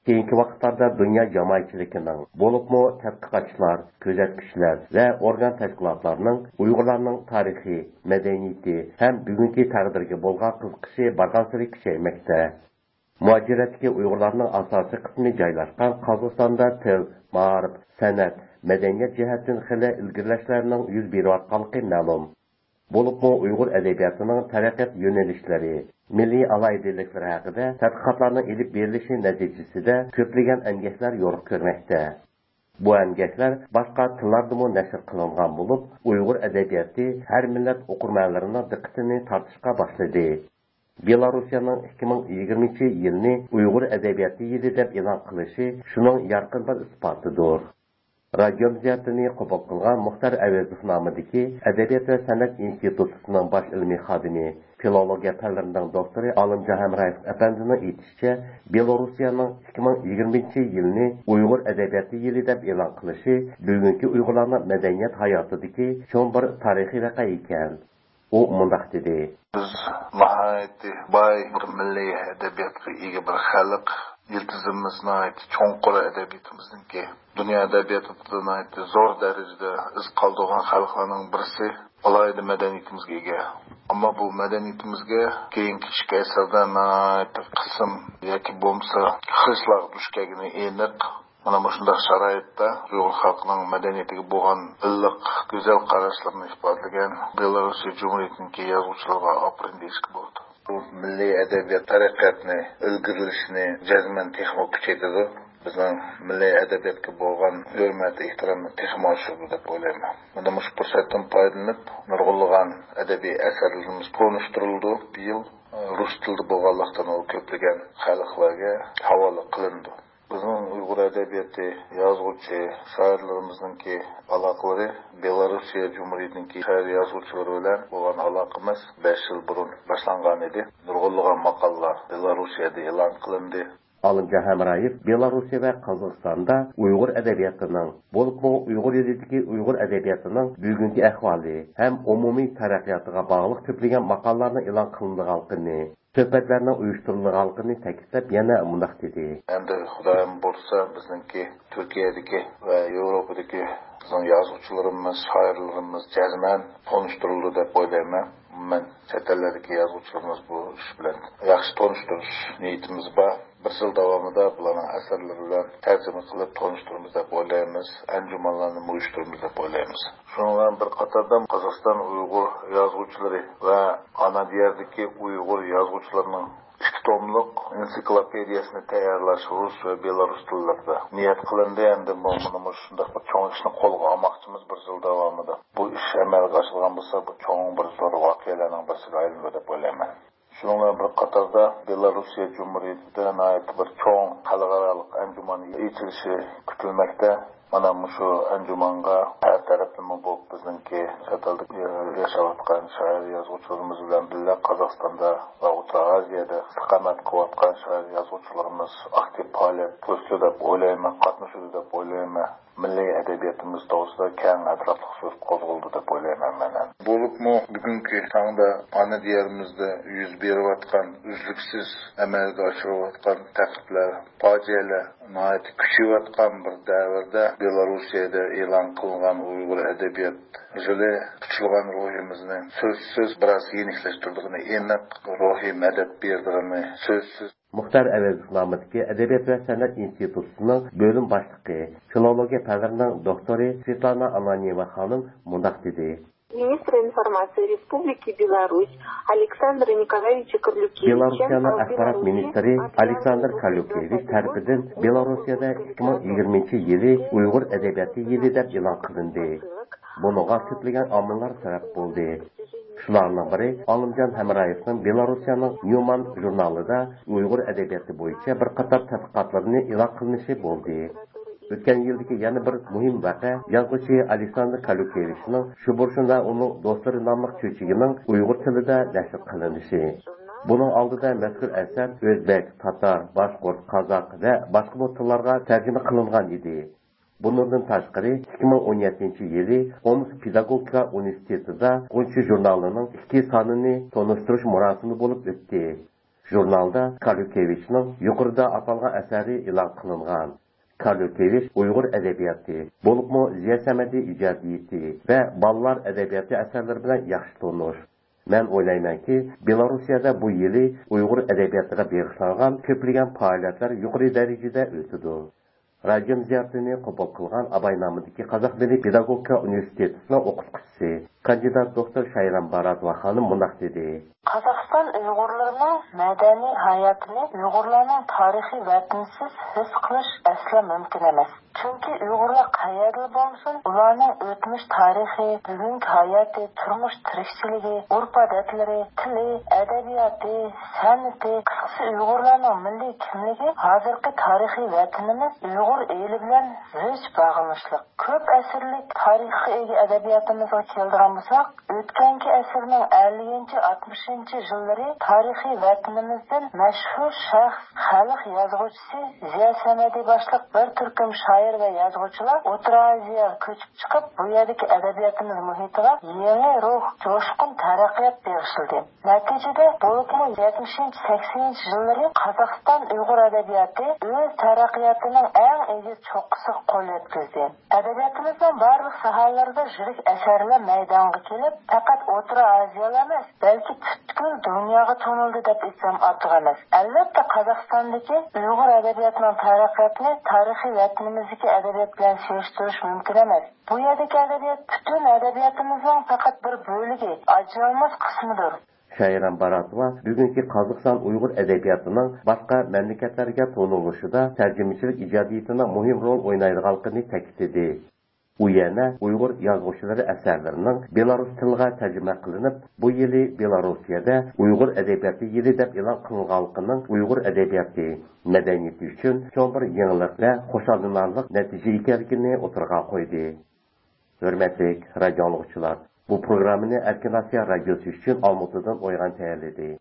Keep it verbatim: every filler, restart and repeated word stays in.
كېيىنكى ۋاقىتلاردا دۇنيا جامائەتچىلىكىنىڭ، بولۇپمۇ تەتقىقاتچىلار، كۆزەتكۈچىلەر ۋە ئورگان تەشكىلاتلارنىڭ ئۇيغۇرلارنىڭ تارىخى، مەدەنىيىتى ھەم بۈگۈنكى تەقدىرىگە بولغان قىزىقىشى بارغانسېرى كۈچەيمەكتە. مۇھاجىرەتتىكى ئۇيغۇرلارنىڭ ئاساسىي قىسمى جايلاشقان قازاقىستاندا تىل، مائارىپ، سەنئەت، مەدەنىيەت جەھەتتىن خېلى ئىلگىرىلەشلەرنىڭ يۈز بېرىۋاتقانلىقى مەلۇم. بولۇپمۇ ئۇيغۇر ئەدەبىياتىنىڭ تەرەققىيات يۆنىلىشلىرى، مىللىي ئالاھىدىلىكلىرى ھەققىدە تەتقىقاتلارنىڭ ئېلىپ بېرىلىشى نەتىجىسىدە كۆپلىگەن ئەمگەكلەر يورۇق كۆرمەكتە. بۇ ئەمگەكلەر باشقا تىللاردىمۇ نەشر قىلىنغان بولۇپ، ئۇيغۇر ئەدەبىياتى ھەر مىللەت ئوقۇرمەنلىرىنىڭ دىققىتىنى تارتىشقا باشلىدى. بېلاروسىيەنىڭ ئىككى مىڭ يىگىرمىنچى يىلنى ئۇيغۇر ئەدەبىياتى يىلى دەپ ئېلان قىلىشى شۇنىڭ يارقىن بىر ئىسپاتىدۇر. رادىيومىز زىيارىتىنى قوبۇل قىلغان مۇختار ئەۋەزوف نامىدىكى ئەدەبىيات ۋە سەنئەت ئىنستىتۇتىنىڭ باش ئىلمىي خادىمى، فىلولوگىيە پەنلىرىنىڭ دوكتورى ئالىمجان ھەمرايېۋ ئەپەندىنىڭ ئېيتىشىچە، بېلاروسىيەنىڭ ئىككى مىڭ يىگىرمىنچى يىلنى ئۇيغۇر ئەدەبىياتى يىلى دەپ ئېلان قىلىشى بۈگۈنكى ئۇيغۇرلارنىڭ مەدەنىيەت ھاياتىدىكى چوڭ بىر تارىخىي ۋەقە ئىكەن. ئۇ مۇنداق دېدى. بىز ناھايىتى باي بىر مىللىي ئەدەبىياتقا ئىگە بىر خەلق. يىلتىزىمىز ناھايىتى چوڭقۇر ئەدەبىياتىمىزنىڭكى. دۇنيا ئەدەبىياتىدا ناھايىتى زور دەرىجىدە ئىز قالدۇرغان خەلقلەرنىڭ بىرسى. ئالاھىدە مەدەنىيىتىمىزگە ئىگە. ئەمما بۇ مەدەنىيىتىمىزگە كېيىنكى ئىككى ئەسىردە ناھايىتى قىسىم ياكى بولمىسا خىرىسلارغا دۇچ كەلگىنى ئېنىق. مانا مۇشۇنداق شارائىتتا ئۇيغۇر خەلقىنىڭ مەدەنىيىتىگە بولغان ئىللىق، گۈزەل قاراشلىرىنى ئىپادىلىگەن بېلاروسىيە جۇمھۇرىيىتىنىڭكى يازغۇچىلىرىغا ئاپىرىن دېيىشكە بولىدۇ. بۇ مىللىي ئەدەبىيات تەرەققىياتنى ئىلگىرىلىشىنى جەزمەن تېخىمۇ كۈچەيتىدۇ. بىزنىڭ مىللىي ئەدەبىياتقا بولغان ھۆرمەت، ئېھتىرامنى تېخىمۇ ئاشۇرىدۇ دەپ ئويلايمەن. مانا مۇشۇ پۇرسەتتىن پايدىلىنىپ، نۇرغۇنلىغان ئەدەبىي ئەسەرلىرىمىز تونۇشتۇرۇلىدۇ. بىيىل، ئە، رۇس تىلىدا بولغانلىقتىن، ئۇ كۆپلىگەن خەلقلەرگە ھاۋالە قىلىنىدۇ. بىزنىڭ ئۇيغۇر ئەدەبىياتى، يازغۇچى، شائىرلىرىمىزنىڭكى ئالاقىلىرى بېلاروسىيە جۇمھۇرىيىتىنىڭكى شائىر، يازغۇچىلىرى بىلەن بولغان ئالاقىمىز بەش يىل بۇرۇن باشلانغان ئىدى. نۇرغۇنلىغان ماقالىلار بېلاروسىيەدە ئېلان قىلىندى. ئالىمجان ھەمرايېف بېلاروسىيە ۋە قازاقىستاندا ئۇيغۇر ئەدەبىياتىنىڭ، بولۇپمۇ ئۇيغۇر ئېلىدىكى ئۇيغۇر ئەدەبىياتىنىڭ بۈگۈنكى ئەھۋالى ھەم ئومۇمىي تەرەققىياتىغا باغلىق كۆپلىگەن ماقالىلەرنىڭ ئېلان قىلىنىدىغانلىقىنى، سۆھبەتلەرنىڭ ئۇيۇشتۇرۇلىدىغانلىقىنى تەكىتلەپ، يەنە مۇنداق دېدى. ئەمدى خۇدايىم بۇيرۇسا، بىزنىڭكى تۈركىيەدىكى ۋە ياۋروپادىكى بىزنىڭ يازغۇچىلىرىمىز، شائىرلىرىمىز جەزمەن تونۇشتۇرۇلىدۇ دەپ ئويلايمەن. ئومۇمەن، چەت ئەللەردىكى يازغۇچىلىرىمىز بۇ ئىش بىلەن ياخشى تونۇشتۇرۇش نىيىتىمىز بار. بىر يىل داۋامىدا بۇلارنىڭ ئەسەرلىرى بىلەن تەرجىمە قىلىپ تونۇشتۇرىمىز دەپ ئويلايمىز. ئەنجۇمانلارنىمۇ ئۇيۇشتۇرىمىز دەپ ئويلايمىز. شۇنىڭ بىلەن بىر قاتاردا، قازاقىستان ئۇيغۇر يازغۇچىلىرى ۋە ئانا دىياردىكى ئۇيغۇر يازغۇچىلىرىنىڭ ئىككى توملۇق ئېنسىكلوپېدىيەسىنى تەييارلاش رۇس ۋە بېلارۇس تىللىرىدا نىيەت قىلىندى. ئەمدى بۇ، مانا مۇشۇنداق بىر چوڭ ئىشنى قولغا ئالماقچىمىز بىر يىل داۋامىدا. بۇ ئىش ئەمەلگە ئاشىدىغان بولسا، بۇ چوڭ بىر زور ۋەقەلەرنىڭ بىرسىگە ئايلىنىدۇ دەپ ئويلايمەن. شۇنىڭ بىلەن بىر قاتاردا، بېلاروسىيە جۇمھۇرىيىتىدە ناھايىتى بىر چوڭ خەلقئارالىق ئەنجۇمان ئېچىلىشى كۈتۈلمەكتە. مانا مۇشۇ ئەنجۇمانغا ھەر تەرەپلىمە بولۇپ، بىزنىڭكى چەت ئەلدە ياشاۋاتقان شائىر يازغۇچىلىرىمىز بىلەن بىللە، قازاقىستاندا ۋە ئوتتۇرا ئازىيەدە ئىستىقامەت قىلىۋاتقان شائىر يازغۇچىلىرىمىز ئاكتىپ پائالىيەت كۆرسىتىدۇ دەپ ئويلايمەن، قاتنىشىدۇ دەپ ئويلايمەن. مىللىي ئەدەبىياتىمىز توغرىسىدا كەڭ ئەتراپلىق سۆز قوزغىلىدۇ دەپ ئويلايمەن مەن. بولۇپمۇ بۈگۈنكى تاڭدا ئانا دىيارىمىزدا يۈز بېرىۋاتقان، ئۈزلۈكسىز ئەمەلگە ئاشۇرۇۋاتقان تەقىبلەر، پاجىئەلەر ناھايىتى كۈچىيىۋاتقان بىر دەۋردە، بېلاروسىيەدە ئېلان قىلغان ئۇيغۇر ئەدەبىيات يىلى قۇتلىغان روھىمىزنى سۆزسىز بىراز يېنىكلەشتۈرىدىغىنى ئېنىق، روھىي مەدەت بېرىدىغىنى سۆزسىز. مۇختار ئەۋەزوف نامىدىكى ئەدەبىيات ۋە سەنئەت ئىنستىتۇتىنىڭ بۆلۈم باشلىقى، فىلولوگىيە پەنلىرىنىڭ دوكتورى سۋېتلانا ئانانيېۋا خانىم مۇنداق دېدى. Министр информации Республики Беларусь Александр Николаевич Карлюкевич. بېلاروسىيەنىڭ ئاخبارات مىنىستىرى ئالېكساندىر كاليۇكېۋىچ تەرىپىدىن بېلاروسىيەدە ئىككى مىڭ يىگىرمىنچى يىلى ئۇيغۇر ئەدەبىياتى يىلى دەپ ئېلان قىلىندى. بۇنىڭغا كۆپلىگەن ئامىللار سەۋەب بولدى. شۇلارنىڭ بىرى، ئالىمجان ھەمرايېۋنىڭ بېلاروسىيەنىڭ نيۇمان ژۇرنالىدا ئۇيغۇر ئەدەبىياتى بويىچە بىر قاتار تەتقىقاتلىرىنى ئېلان قىلىنىشى بولدى. ئۆتكەن يىلدىكى يەنە بىر مۇھىم ۋەقە يازغۇچى ئالېكساندىر كاليۇكېۋىچنىڭ شۇ بۇرشۇن ۋە ئۇنىڭ دوستلىرى ناملىق چۆچىكىنىڭ ئۇيغۇر تىلىدا نەشر قىلىنىشى. بۇنىڭ ئالدىدا مەزكۇر ئەسەر ئۆزبەك، تاتار، باشقۇرت، قازاق ۋە باشقىمۇ تىللارغا تەرجىمە قىلىنغان ئىدى. بۇنىڭدىن تاشقىرى، ئىككى مىڭ ئون يەتتىنچى يىلى ئومسك پېداگوگىكا ئۇنىۋېرسىتېتىدا غۇنچە ژۇرنالىنىڭ ئىككى سانىنى تونۇشتۇرۇش مۇراسىمى بولۇپ ئۆتتى. ژۇرنالدا كارلۇكېۋىچنىڭ يۇقىرىدا ئاتالغان ئەسەرى ئېلان قىلىنغان. كارلۇكېۋىچ ئۇيغۇر ئەدەبىياتى، بولۇپمۇ زىيا سەمەدى ئىجادىيىتى ۋە بالىلار ئەدەبىياتى ئەسەرلىرى بىلەن ياخشى تونۇش. مەن ئويلايمەنكى، بېلاروسىيەدە بۇ يىلى ئۇيغۇر ئەدەبىياتىغا بېغىشلانغان كۆپلىگەن پائالىيەتلەر يۇقىرى دەرىجىدە ئۆتىدۇ. رادىيوم زىيارىتىنى قوبۇل قىلغان ئاباي نامىدىكى قازاق مىللىي پېداگوگىكا ئۇنىۋېرسىتېتىنىڭ ئوقۇتقۇچىسى، كاندىدات دوكتور شايرام باراتوۋا خانىم مۇنداق دېدى. قازاقىستان ئۇيغۇرلىرىنىڭ مەدەنىي ھاياتىنى ئۇيغۇرلارنىڭ تارىخىي ۋەتىنىسىز ھېس قىلىش ئەسلا مۇمكىن ئەمەس. چۈنكى ئۇيغۇرلار قەيەردىلا بولمىسۇن، ئۇلارنىڭ ئۆتمۈش تارىخى، بۈگۈنكى ھاياتى، تۇرمۇش تىرىكچىلىكى، ئۆرپ-ئادەتلىرى، تىلى، ئەدەبىياتى، سەنئىتى، قىسقىسى ئۇيغۇرلارنىڭ مىللىي كىملىكى ھازىرقى تارىخىي ۋەتىنىمىز ئۇيغۇر ئېلى بىلەن زىچ باغلىنىشلىق. كۆپ ئەسىرلىك تارىخقا ئىگە ئەدەبىياتىمىزغا كېلىدىغان بولساق، ئۆتكەنكى ئەسىرنىڭ ئەللىكىنچى، ئاتمىشىنچى يىللىرى تارىخىي ۋەتىنىمىزدىن مەشھۇر شەخس، خەلق يازغۇچىسى زىيا سەمەدى باشلىق بىر تۈركۈم شائىر ۋە يازغۇچىلار ئوتتۇرا ئاسىياغا كۆچۈپ چىقىپ، بۇ يەردىكى ئەدەبىياتىمىز مۇھىتىغا يېڭى روھ، جوشقۇن تەرەققىيات بېغىشلىدى. نەتىجىدە، بولۇپمۇ يەتمىشىنچى، سەكسىنىنچى يىللىرى قازاقىستان ئۇيغۇر ئەدەبىياتى ئۆز تەرەققىياتىنىڭ ئەڭ ئېگىز چوققىسىغا قول يەتكۈزدى. ئەدەبىياتىمىزنىڭ بارلىق ساھەلىرىدە يىرىك ئەسەرلەر مەيدانغا كېلىپ، پەقەت ئوتتۇرا ئاسىيالا ئەمەس، بەلكى پۈتكۈل دۇنياغا تونۇلدى دەپ ئېيتسام ئارتۇق ئەمەس. ئەلۋەتتە، قازاقىستاندىكى ئۇيغۇر ئەدەبىياتىنىڭ تەرەققىياتىنى تارىخىي ۋەتىنىمىزدىكى ئەدەبىيات بىلەن سېلىشتۇرۇش مۇمكىن ئەمەس. بۇ يەردىكى ئەدەبىيات پۈتۈن ئەدەبىياتىمىزنىڭ پەقەت بىر بۆلىكى، ئاجرالماس قىسمىدۇر. شايرام باراتوۋا بۈگۈنكى قازاقىستان ئۇيغۇر ئەدەبىياتىنىڭ باشقا مەملىكەتلەرگە تونۇلۇشىدا تەرجىمىچىلىك ئىجادىيىتىنىڭ مۇھىم رول ئوينايدىغانلىقىنى تەكىتلىدى. ئۇ يەنە ئۇيغۇر يازغۇچىلىرى ئەسەرلىرىنىڭ بېلاروس تىلىغا تەرجىمە قىلىنىپ، بۇ يىلى بېلاروسىيەدە ئۇيغۇر ئەدەبىياتى يىلى دەپ ئېلان قىلىنغانلىقىنىڭ ئۇيغۇر ئەدەبىياتى، مەدەنىيىتى ئۈچۈن چوڭ بىر يېڭىلىق ۋە خۇشاللىنارلىق نەتىجە ئىكەنلىكىنى ئوتتۇرىغا قويدى. ھۆرمەتلىك رادىيو ئاڭلىغۇچىلار، بۇ پروگراممىنى ئەركىن ئاسىيا رادىيوسى ئۈچۈن ئالمۇتىدىن ئويغان تەييارلىدى.